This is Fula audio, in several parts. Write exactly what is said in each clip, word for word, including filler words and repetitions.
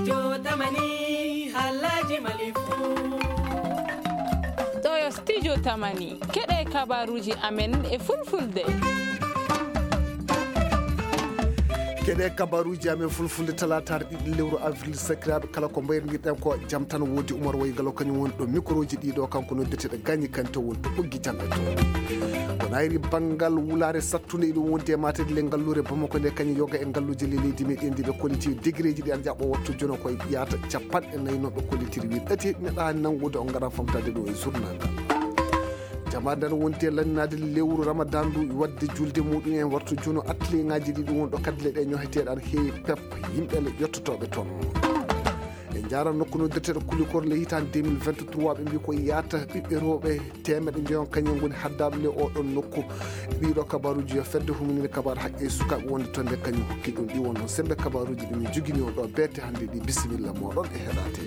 Yo tamani, halaji malifu. Ɗo yo studio tamani. Keɗe kabaruji amen e fulfulde. Keɗe kabaruji amen fulfulde, talataare ɗiɗi lewru avril, sakiraaɓe, kala ko mbayrondirɗen ko jam tan woodi. Umar Waygalo kañum woni ɗo microji ɗiɗo, kanko noddeteɗo Gagny Kanté woni to ɓoggi jam e to. Ko nayri banngal wulaare sattunde, iɗum wondi e matede le ngalluure Bamako nde, kañum yoga e ngalluuje le leydi meɗen ndi, ɓe kolliti degré ji ɗi ana jaɓɓo wattu jono koye yaata capanɗe nayi, noon ɓe kollitiri wi ɗati neɗɗo hani nanngude, on ngara famtade ɗo e journal ngal. Jamaare nden wonti e lanninaade lewru Ramadan ndu, wadde julde muɗum en wartu jono atelier ngaji ɗi ɗum won ɗo kaddule ɗe ñoheteɗe an heewi pep yimɓe le ƴettotooɓe toon. E jaaran nokku noddirteɗo Kulikor le hitaande deux mille vingt-trois, ɓe mbi ko yaata ɓiɓɓe rewɓe teemeɗe njoyon kañum ngoni haddaaɓe le oɗon nokku. Ɗiɗo kabaruji yo fedde huminire kabaru haqqe sukaaɓe wonde toon nde kañum hokki ɗum ɗi won noon sembe kabaruji ɗi min jogini on ɗo beete hannde ɗi. Bisimilla moɗon e heɗaade.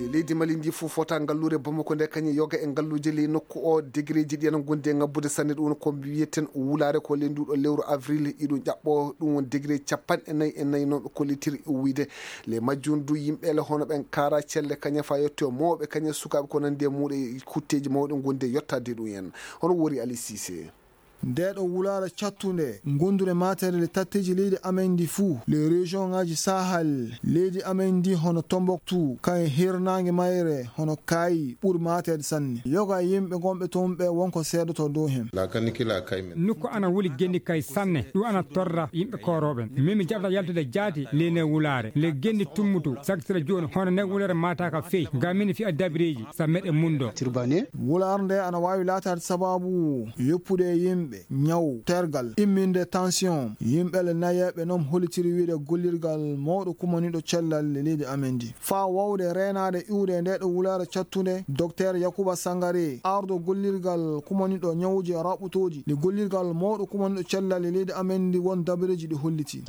Le leydi Mali ndi fof fota ngalluure Bamako nde kañum yoga e ngalluuje ley nokku o, degré ji ɗi ana gondi e ngabbude sanne. Ɗum ko mbiyeten wulaare ko ley nduɗo lewru avril iɗum ƴaɓɓo, ɗum won degré capanɗe nayi e nayi noon ɓe kollitiri wiyde. Le majjum du yimɓe le hono ɓen kaara celle kañum fa yetto mawɓe kañum sukaaɓe ko nandi e muɗe kutteji mawɗi gondi e yottade ɗum en. Hono wori Ali Cissé. Nde ɗo wulaare cattunde, gondure mateɗe le tatteji leydi amen ndi fuu, le région ngaji Sahel, leydi amen ndi hono Tombouctou, kay hirnaange mayre hono Kayi ɓuri mateɗe sanne. Yoga e yimɓe gonɓe toon ɓe wonko seedoto dow hen. Nokku ana wuli gendi kay sanne, ɗum ana torra yimɓe koorooɓe. Min mi jaɓata yaltude jaati ley ne wulaare. Le gendi tummutu, saktira jooni, hono ne wulaare mataka fey. Ga min fi a dabireji, sa meɗe mundo. Wulaare nde ana waawi laataade sababu yoppude e yimɓe, ñaw, tergal, imminde tension. Yimɓe le nayeeɓe noon holitiri wiide gollirgal mawɗo kumaniɗo cellal le leydi amen ndi. Faa wawde reenaade iwde e nde ɗo wulaare cattunde, Docteur Yakuba Sangare, ardo gollirgal kumaniɗo ñawuji e raɓɓutooji, le gollirgal mawɗo kumaniɗo cellal le leydi amen ndi won dabareji ɗi holliti.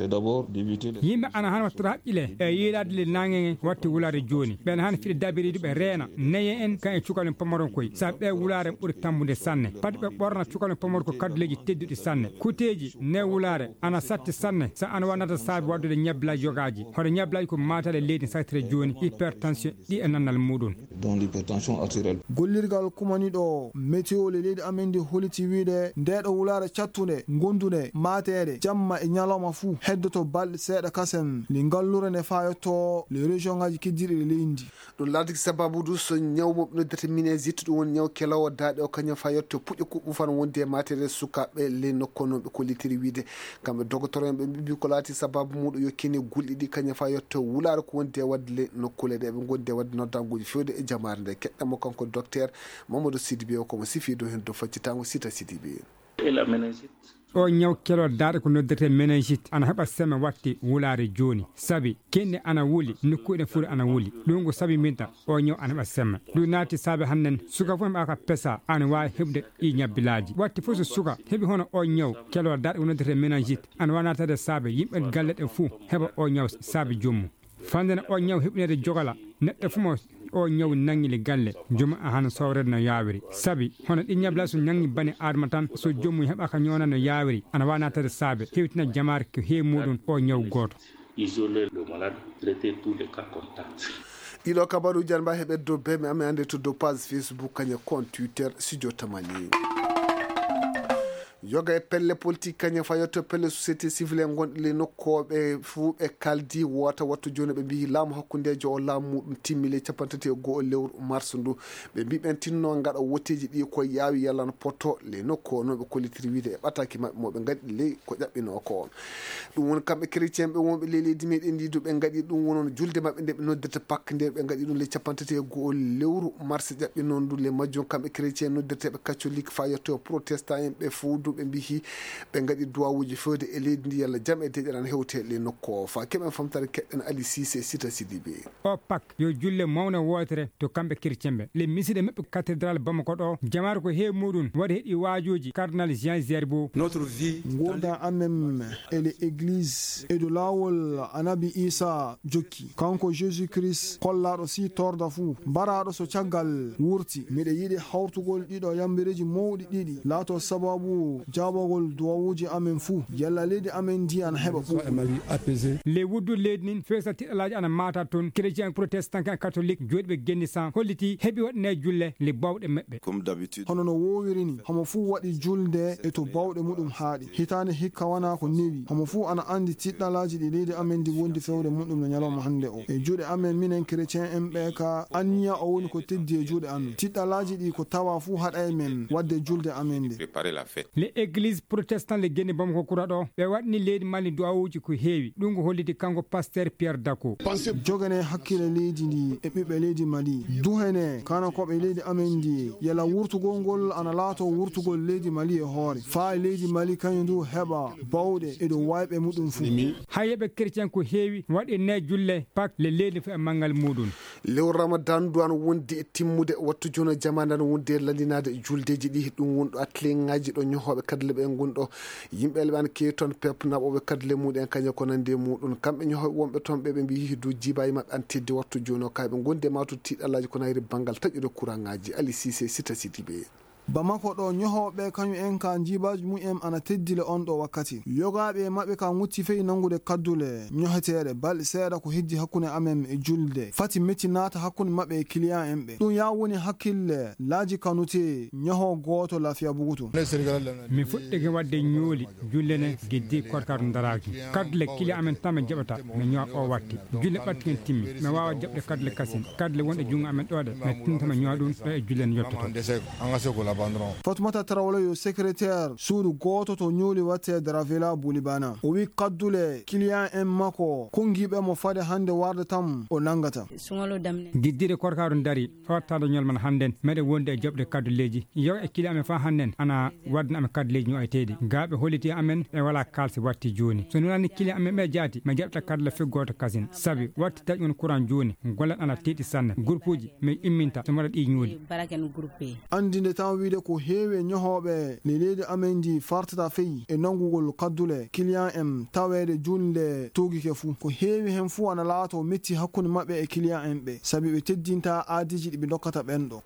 Yimɓe ana han wattata haqqile e yiilaade le naange watti wulaare jooni. Ɓen han fiɗe dabireji ɓe reena neye en kan e cukalɓe pamaron koy. Sa ɓe wulaare ɓuri tambude sanne. Pati ɓe ɓorna cukalɓe pamor ko kadduleji tedduɗi sanne. Kuteji ne wulaare ana satti sanne. Sa ana wanata saabi waddude ñabbilaji yogaji. Hoto ñabbilaji ko matale leydi saktire jooni, hypertension ɗi e nannal muɗum. Dont l'hypertension artérielle. Gollirgal kumaniɗo météo le leydi amen ndi holiti wiide nde ɗo wulaare cattunde, gondunde, mateede, jamma e ñalawma fuu heddoto balɗe seeɗa kasem. Nde ngallure nde fayotto le région ngaji keddiɗi ɗe leydi ndi. Ɗum laatiki sababu du so ñaw mo ɓe noddata minésite, ɗum woni ñaw kelowo daaɗe o, kañum fayotto puƴe kuɓɓu fan wonde e mateede sukaaɓe ley nokku noon ɓe kollitiri wiide. Kamɓe dogotoro en ɓe mbiɓi ko laati sababu muɗum yo kene gulɗi ɗi kañum fayotto wulaare ko wonde e wadde ley nokkuule ɗe ɓe gondi e wadde noddanguji fewde e jamaare nde. Keɗɗen mo kanko docteur Mamadou Sidibé o komo sifi dow heen dow faccitango Sita Sidibé. O ñaw kelo daaɗe ko noddirte meningite ana heɓa seme watti wulaare jooni. Sabi kenɗe ana wuli, nokkuuɗe fuu ana wuli. Ɗum ko sabi mbinta o ñaw ana heɓa seme. Ɗum naati saabe hannden suka fof heɓa ka pesa ana waawi heɓde ɗi ñabbilaaji. Watti fof so suka heɓi hono o ñaw kelo daaɗe ko noddirte meningite ana waawi naatade saabe yimɓe galle ɗe fuu heɓa o ñaw saabe joomum. Fande no o ñaw heɓinede jogala neɗɗo fuu mo o ñaw nangi le galle, jooma a hana sowrede no yaawiri. Sabi hono ɗi ñabla so nangi bani adama tan, so joomum heɓaka ñoona no yaawiri, ana waawi naatade saabe hewtina jamaare ko heewi muɗum o ñaw gooto. Isoler le malade, traiter tous les cas contacts. Ɗiɗo kabaruji an mbawi heɓede dow beme amen ande to dow page Facebook kañum compte Twitter Studio Tamani. Yoga e pelle politique kañum fayotto pelle société civile en gonɗi le nokkooɓe fuu ɓe kaldi wota wattu jooni ɓe mbiyi laamu hakkundejo o laamu muɗum timmi le capantati e go'o lewru mars ndu. Ɓe mbi ɓen tinno ngaɗa woteji ɗi ko yaawi yalla no poto le nokku o noon ɓe kollitiri wiide e ɓataki maɓɓe mo ɓe ngaɗi ley ko ƴaɓɓino ko. Ɗum woni kamɓe chrétien ɓe wonɓe ley leydi meɗen ndi du ɓe ngaɗi ɗum wonon julde maɓɓe nde ɓe noddirta Pâques nde ɓe ngaɗi ɗum le capantati e go'o lewru mars ƴaɓɓi noon du le majjum kamɓe chrétien noddirteɓe catholique fa yetto protestant en ɓe fof du ɓe mbihi ɓe ngaɗi duwawuji fewde e leydi ndi yalla jam e deƴƴere ana hewte le nokku o fa keɓen famtare keɗɗen Ali Cissé Sita Sidibé. O Pâques yo julle mawne wootere to kamɓe chrétien ɓe le misiɗe maɓɓe cathédrale Bamako ɗo jamaare ko heewi muɗum waɗi heɗi waajuuji cardinal Jean Zerbo. Ngurndan amen e le église e dow laawol Annabi Iisaa jokki. Kanko Jésus Christ kollaaɗo sii torda fuu, baraaɗo so caggal wurti. Miɗo yiɗi hawrtugol ɗiɗo yambireeji mawɗi ɗiɗi laatoo sababu Jaabagol duwawuuji amen fuu, yalla leydi amen ndi ana heɓa ɓuuɓri. Ley wuddu leydi ndin, feesa tiɗɗalaaji ana maata toon. Chrétien protestant kan katolik, jooɗiiɓe Genni San, holliti heɓi waɗinee julle le bawɗe meɓɓe. Hono no woowiri ni, homo fuu waɗi julde e to bawɗe muɗum haaɗi. Hitaande hikka wanaa ko newi. Homo fuu ana anndi tiɗɗalaaji ɗi leydi amen ndi wondi fewre muɗum no ñalawma hannde o. E juuɗe amen minen chrétien en ɓe ka anniya o woni ko teddi e juuɗe amen. Tiɗɗalaaji ɗi ko tawa fuu haɗay men waɗde julde amen nde. Le église protestant le Genni Bamako Kura ɗo, ɓe waɗni leydi Mali du'awuuji ko heewi. Ɗum ko holliti kanko pasteur Pierre Dako. Jogane hakkille leydi ndi e ɓiɓɓe leydi Mali. Duhene kanakooɓe leydi amen ndi, yala wurtugol ngol ana laato wurtugol leydi Mali e hoore. Faa leydi Mali kañum ndu heɓa bawɗe e dow wayɓe muɗum fuu. Hayyeɓe chrétien ko heewi waɗi ne julle Pâques le leydi fuu e manngal muɗum. Lewru Ramadan ndu ana wondi e timmude, wattu jooni o jamaande ana wondi e lallinaade juldeeji ɗi. Ɗum woni ɗo atelier ŋaaji ɗo ñohooɓe kadle ɓe ngoni ɗo. Yimɓe le ɓe ana keewi toon, pep naɓooɓe kadle muɗum en kañum ko nanndi e muɗum. Kamɓe ñohooɓe wonɓe toon ɓe, ɓe mbiyi dow jiibaaji maɓɓe ana teddi wattu jooni o. Kay ɓe ngondi e mawtude tiɗɗalaaji ko nayri banngal taƴude kuraŋaaji. Ali Sise, Sita Sidibe. Bamako ɗo ñohooɓe kañum en ka jiibaaji mumen ana teddi le on ɗo wakkati. Yogaaɓe maɓɓe ka ŋutti fey nanngude kaddule ñoheteeɗe balɗe seeɗa ko heddi hakkunde amen e julde. Fati metti naata hakkunde maɓɓe e client en ɓe. Ɗum yaa woni hakkille laaji kanute ñoho gooto Lafiya Bugutu. Mi fuɗɗike waɗde ñooli julle ne geddi korkaaru ndaraaki. Kaddule client amen tan mi jaɓata, mi ñoha o watti. Julle ɓatti hen timmi. Mi waawa jaɓde kaddule kasin. Kaddule wonɗe junngo amen ɗo ɗe, mi tinta mi ñoha ɗum ɗo e julle ne yottoto. Fatoumata Traoré yo secrétaire suudu gooto to ñooli watte Dravela Boulibana. O wi kaddule client en makko konngiiɓe mo fade hannde warde tan o nanngata. Giddire korkaaru dari, fawattaade ñolman hannden, meɗen wondi e jaɓde kadduleeji. Yo e kili amen faa hannden, ana waddana amen kadduleeji ño'eteeɗi. Gaa ɓe holliti amen, ɓe walaa kaalsi watti jooni. So nunani kili amen ɓe jaati, mi jaɓta kaddule fii gooto kasin. Sabi, watti taƴ on kuran jooni, golle ana tiiɗi sanne. Gurpuuji, mi imminta, so mi waɗa ɗi ñooli. Anndinde tan wiide ko heewi e ñohooɓe le leydi amen ndi fartata fey e nanngugol kaddule client en taweede juulnde tuugike fuu. Ko heewi heen fuu ana laato metti hakkunde maɓɓe e client en ɓe, sabi ɓe teddinta aadiiji ɗi ɓe ndokkata ɓeen ɗo.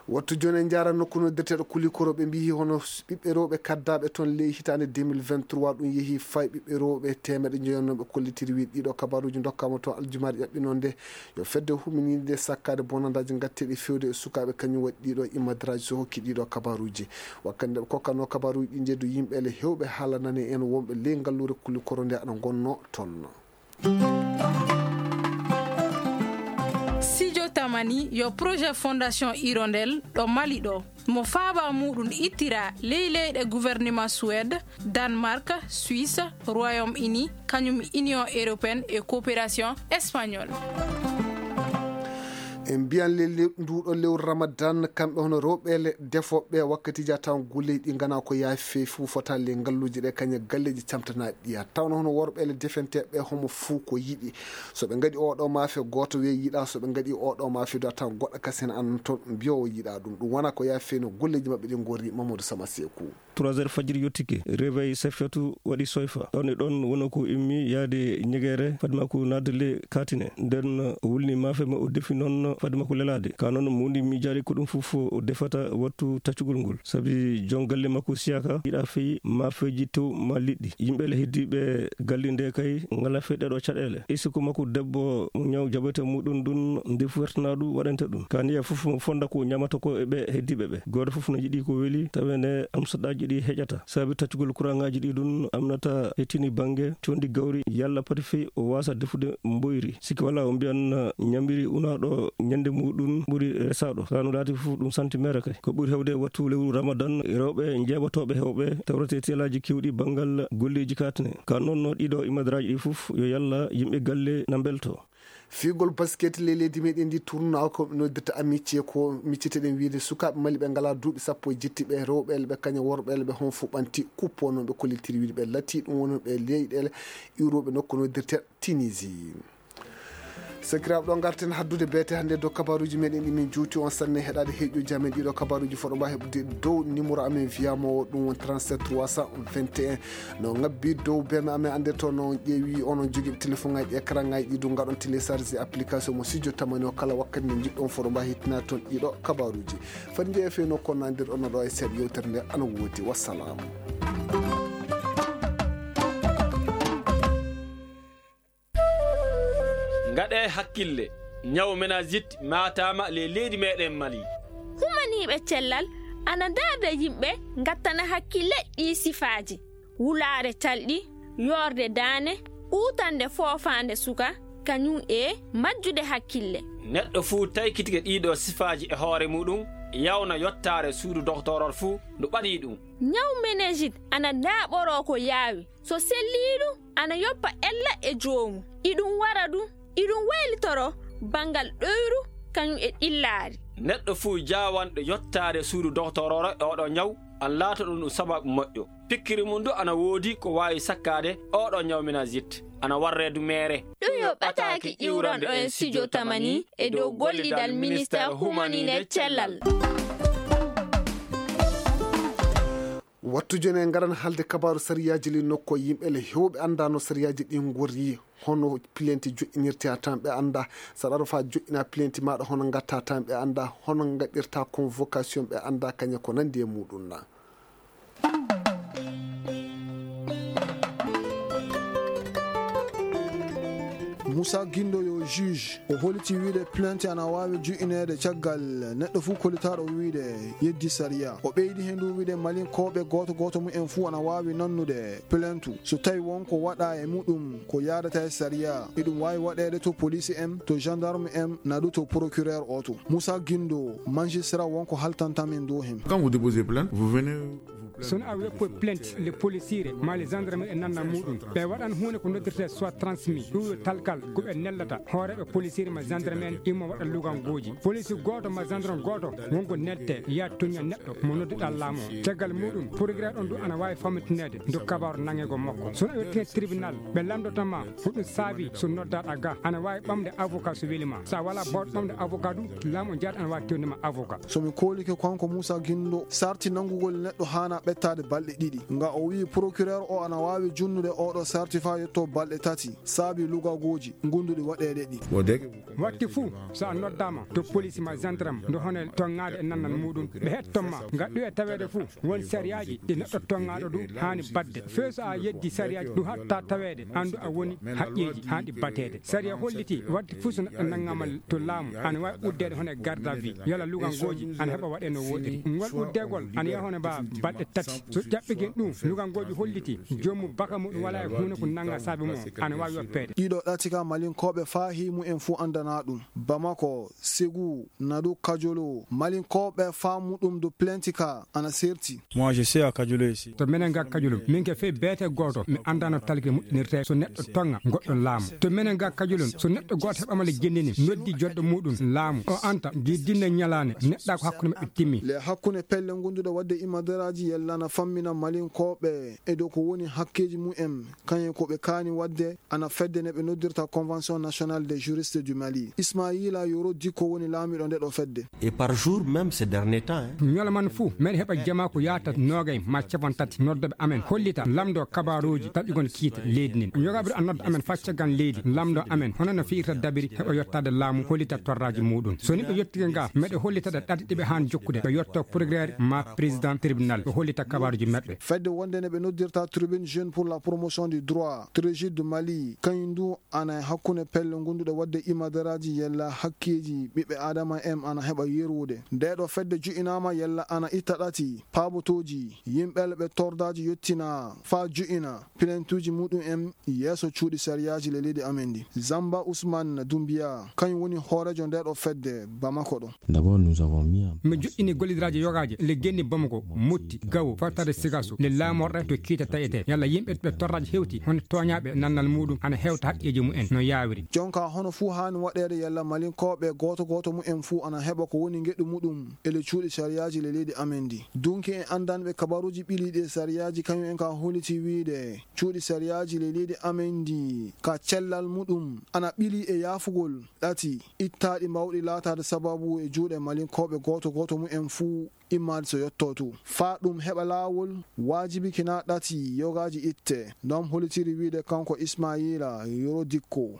Wattu jooni en njaara nokku noddirteeɗo Kulikoro, ɓe mbiyi hono ɓiɓɓe rewɓe kaddaaɓe toon ley hitaande deux mille vingt-trois, ɗum yehi fay ɓiɓɓe rewɓe teemeɗɗe njoyo noon ɓe kollitiri wiide ɗiɗo kabaruuji ndokkaama toon aljumaare ƴaɓɓinoo nde. Yo fedde huminiinde sakkaade bonandaaji ngatteeɗi feewde e sukaaɓe, kañum waɗi ɗiɗo imadraaji so hokki ɗiɗo kabaruuji. Wakkati nde ɓe kokkanoo kabaruuji ɗi, njeddu yimɓe le heewɓe haalanani en wonɓe ley ngalluure Kulikoro nde ana ngonnoo toon. Sijo Tamani yo projet Fondation Hirondelle ɗo Mali ɗo. Mo faaba muuɗum ittira ley leyɗe gouvernement Suède, Danemark, Suisse, Royaume-Uni, kañum Union européenne e coopération espagnole. En mbiyan lelle nduɗo lewru Ramadan, kamɓe hono rewɓe le defooɓe wakkatiji a tawan golleji ɗi ngana ko yaafi fuu fota le ngalluji ɗe kañe galleji camtanaɗi ɗiya. Tawno hono worɓe le defenteɓe homo fuu ko yiɗi. So ɓe ngaɗi oɗo maafe, gooto wiya yiɗa. So ɓe ngaɗi oɗo maafe, do a tawan goɗɗo kasen an toon mbiya o yiɗa ɗum. Ɗum wona ko yaafi no golleji maɓɓe ɗi ngorri. Mamadou Sama Sekou. Trois heures fajiri yottike, réveil Safiyatu waɗi soyfa. Ɗon e ɗon wona ko immi yaade ñegere, fadde makko naatde le kaatine. Nden o wulni maafe ma o defi noon fadde makko lelaade. Ka noon muundi miijaade ko ɗum fof o defata wattu taccugol ngol. Sabi jon galle makko siyaka yiɗa fey maafeeji tew ma liɗɗi. Yimɓe le heddiiɓe galle nde kay ngala fey ɗeɗo caɗeele. E sikku makko debbo mo ñaw jaɓete muɗum ɗum ndefu wertanaɗu waɗante ɗum. Ka niya fof mo fonda ko ñamata ko e ɓe heddiiɓe ɓe. Gooto fof no yiɗi ko weli, tawi nde am saɗaaji ɗi heƴata. Sabi taccugol kuraŋaaji ɗi ɗum amnata hettini bannge condi gawri, yalla pati fey o waasa defude mboyri. Sikki wala o mbiyan ñamiri unaaɗo ñande muɗum ɓuri resaaɗo. Ka no laati fof ɗum santi mere kay. Ko ɓuri hewde wattu lewru Ramadan, rewɓe jeeɓotooɓe hewɓe tawrete telaaji kewɗi banngal golleeji katne. Ka noon no ɗiɗo imadraaji ɗi fof yo yalla yimɓe galle na mbelto. Fiigol basket ley leydi meɗen ndi tournoi ko noddirta amitié ko micciteɗen wiide sukaaɓe Mali ɓe ngala duuɓi sappo e jetti ɓe rewɓe le ɓe kaña worɓe le ɓe hon fof ɓanti kuppo noon ɓe kollitiri wiide ɓe latti ɗum woni ɓe leyɗele iwroɓe nokku noddirte Tunisie. Sakiraaɓe, ɗo ngarten haddude beete hannde dow kabaruuji meɗen ɗi min juuti on sanne heɗaade heeƴuuji amen ɗiɗo kabaruuji foɗo mba heɓude dow numéro amen wiyamo ɗum won trente-sept trois cent vingt et un. No ngabbi dow beme amen annde to no ƴeewi onon jogiiɓe téléphone ngaji écran ngaji ɗi ɗum ngaɗon télécharge application mo studio tamani o kala wakkati nde njiɗɗon foɗo mba hittina toon ɗiɗo kabaruuji. Fadi njeeya fewno kono nandir ono ɗo e seeɗa yewtere nde ana woodi. Wassalaamu. Ngaɗee hakkille, ñaw meningite maataama ley leydi meɗen Mali. Humaniiɓe cellal ana ndaarda yimɓe ngattana hakkille ɗii sifaaji, wulaare talɗi, yoorde daane, uutande foofaande suka, kañum e majjude hakkille. Neɗɗo fuu taykitike ɗiiɗoo sifaaji e hoore muɗum, yawna yottaare suudu doktoorol fuu ndu ɓaɗii ɗum. Ñaw meningite ana ndaaɓoroo ko yaawi, so sellii ɗum ana yoppa ella e joomu. Iɗum wara ɗum, iɗum waylitoroo banngal ɗoyru kañum e ɗillaari. Neɗɗo fuu jaawanɗo yottaade suudu doktoororo e oɗo ñaw, ana laatoɗum ɗum sabaabu moƴƴo. Pikkiri mum du ana woodi ko waawi sakkaade oɗo ñaw meningite, ana warree du meere. Ɗum yo ɓataaki iwranɗo en studio tamani e dow gollidal ministeer humaniinde cellal. Wattu jooni en ngaran haalde kabaaru sariyaaji ɗi nokko yimɓe le heewɓe anndaa no sariyaaji ɗi ngorri, hono pilenti joƴƴinirte a tan ɓe anndaa. Saɗa aro faa joƴƴina pilenti maaɗa hono ngatta tan ɓe anndaa, hono ngaɗirta convocation ɓe anndaa kañe ko nanndi e muɗum na. Musa Gindo yo juge o holiti wiide plainte ana waawi ju'ineede caggal neɗɗo fuu kolitaaɗo wiide yeddi sariya. O ɓeydi heen du wiide malinkooɓe gooto gooto mumen fuu ana waawi nannude plainte so tawi won ko waɗa e muɗum ko yaadata e sariya. Iɗum waawi waɗeede to police en, to gendarme en, na du to procureur oto. Musa Gindo, magistrat won ko haltanta min du heen. Quand vous déposez plainte, vous venez. Sono a weppo plainte le policiere ma le gendarme e nanna muɗum ɓe waɗan huunde ko noddirte soit transmis ɗum yo talkal ko ɓe nellata hooreɓe policiere ma gendarme en immo waɗa lugangoji police gooto ma gendarme gooto wonko nette ya toña neɗɗo mo nodduɗa laamu o caggal muɗum procureur on ɗum ana wawi fammintinede do kabaru nangego makko sono a yettine tribunal ɓe lamdotoma ko ɗum saabi so noddaɗa ga ana wawi ɓamde avocat so welima sa wala bawɗo ɓamde avocat ɗum laamu o jaata ana wawi tewdema avocat. Somi koolike kanko Muusa Ginndo sarti nanngugol neɗɗo haanaa ɓettaade balɗe ɗiɗi. Nga o wiyi procureur o ana waawi junnude ooɗoo sarti faa yottoo balɗe tati saabii lugagooji ngonduɗi waɗeede ɗi. Wakti fuu so a noddaama to poliisi maa jandarm nde hono e toŋŋaade e nannal muuɗum ɓe heɗton ma. Nga ɗuya taweede fuu won sariyaaji ɗi neɗɗo toŋŋaaɗo ɗum haani baɗde. Fee so a yeddii sariyaaji ɗum haɗtaa taweede anndu a woni haqqeeji haanɗi bateede. Sariya hollitii wakti fuu so neɗɗo nanngaama to laamu ana waawi uddeede hono e garde à vue yalla lugangooji ana heɓa waɗee no wooɗiri ngol uddeegol ana yaha hono ba balɗe tati so ƴaɓɓike ɗum lugangooji hollitii joomum baka muɗum walaa e huunde ko nannga saabe mum ana waawi yoppeede. Ɗiɗo ɗati ka malinkooɓe faa hii mumen fuu anndanaa ɗum. Bamako, Segu, Nadu, Kajolo, malinkooɓe faa muɗum do plenti ka ana serti. Moi je sais à Kajolo ici. To menen ga Kajolum min ke fey beete gooto mi anndaa no talke moƴƴinirtee so neɗɗo toŋŋa goɗɗo laamu. To menen ga Kajolum so neɗɗo gooto heɓaama le jenndini noddi joɗɗo muuɗum laamu o anta ngi dinne ñalaande neɗɗa ko hakkunde maɓɓe timmi. Le hakkunde pelle ngonduɗe waɗde imadaraaji yella na fammina malinkooɓe e dow ko woni hakkeeji mumen kañum ko ɓe kaani waɗde ana fedde nde ɓe noddirta Convention Nationale des Juristes du Mali. Ismaila Yoro Dikko woni laamiiɗo ndeɗo fedde. Et par jour même ces derniers temps hein. Ñalawma fuu meɗen heɓa jamaa ko yaata noogay ma capanɗe tati noddoɓe amen hollita lamdo kabaruuji taƴugol kiite leydi ndin. Yogaaɓe ɗo a nodda amen faa caggal leydi lamdo amen hono no fiyirta dabiri heɓa yottaade laamu hollita torraaji muuɗum. So ni ɓe yottike nga meɗe hollita ɗe ɗaɗi ɗi ɓe haan jokkude ɓe yotto procureur ma président tribunal ɓe hollita kabaruuji maɓɓe. Fedde wonde nde ɓe noddirta Tribune Jeune pour la Promotion du Droit, Trejud Mali, kañum du ana e hakkunde pelle ngonduɗe waɗde imadaraaji yella hakkeeji ɓiɓɓe aadama en ana heɓa yerwude. Ndeeɗo fedde ju'inaama yella ana itta ɗati paabotooji yimɓe le ɓe tordaaji yottina faa ju'ina pilentuuji muɗum en yeeso cuuɗi sariyaaji le leydi amen ndi. Zamba Usman Dumbiya kañum woni hooreejo ndeeɗo fedde Bamako ɗo. D'abord nous avons mis en. Mi joƴƴini gollidiraaji yogaaji le genni Bamako, Motti, Fottade sigaso nde laamorɗe to kiita taƴete yalla yimɓe ɓe torraji hewti hono tooñaaɓe nannal muɗum ana hewta haqqeeji mumen no yaawiri. Jonka hono fuu haani waɗeede yalla malinkooɓe gooto gooto mumen fuu ana heɓa ko woni ngeɗu muɗum e le cuuɗi sariyaaji le leydi amen ndi. Dunki en anndanɓe kabaruuji ɓiliiɗi e sariyaaji kañum en ka holliti wiide cuuɗi sariyaaji le leydi amen ndi ka cellal muɗum ana ɓili e yaafugol ɗati ittaaɗi mbawɗi laataade sababu e juuɗe malinkooɓe gooto gooto mumen fuu immaade so yotto tu faa ɗum heɓa laawol. Waajibi kina ɗati yogaaji itte ndom holitiri wiide kanko ismayila yoro dikko.